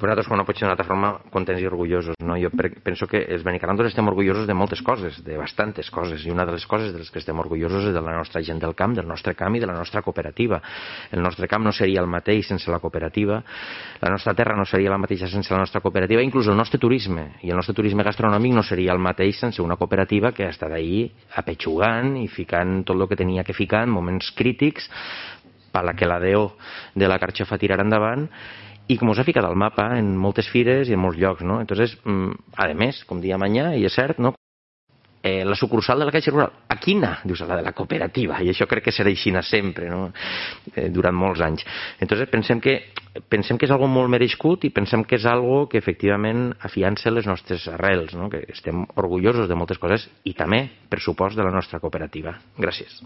nosaltres, com no pot ser d'una altra forma, contents i orgullosos, no? Jo penso que els benicarrantos estem orgullosos de moltes coses, de bastantes coses, i una de les coses de les que estem orgullosos és de la nostra gent del camp, del nostre camp i de la nostra cooperativa. El nostre camp no seria el mateix sense la cooperativa, la nostra terra no seria la mateixa sense la nostra cooperativa, inclús el nostre turisme, i el nostre turisme gastronòmic no seria el mateix sense una cooperativa que ha estat ahí apetxugant i ficant tot el que tenia que ficar en moments crítics per la que la Déu de la carxofa tirar endavant, i com us ha ficat al mapa en moltes fires i en molts llocs, no? Entonces, a més, com dia Mañá, i és cert, no? La sucursal de la Caixa Rural, a quina? Dius, a la de la cooperativa, i això crec que serà així sempre, no? Durant molts anys. Entonces, pensem que és algo molt merescut i pensem que és algo que efectivament afiança les nostres arrels, no? Que estem orgullosos de moltes coses i també, per supost, de la nostra cooperativa. Gràcies.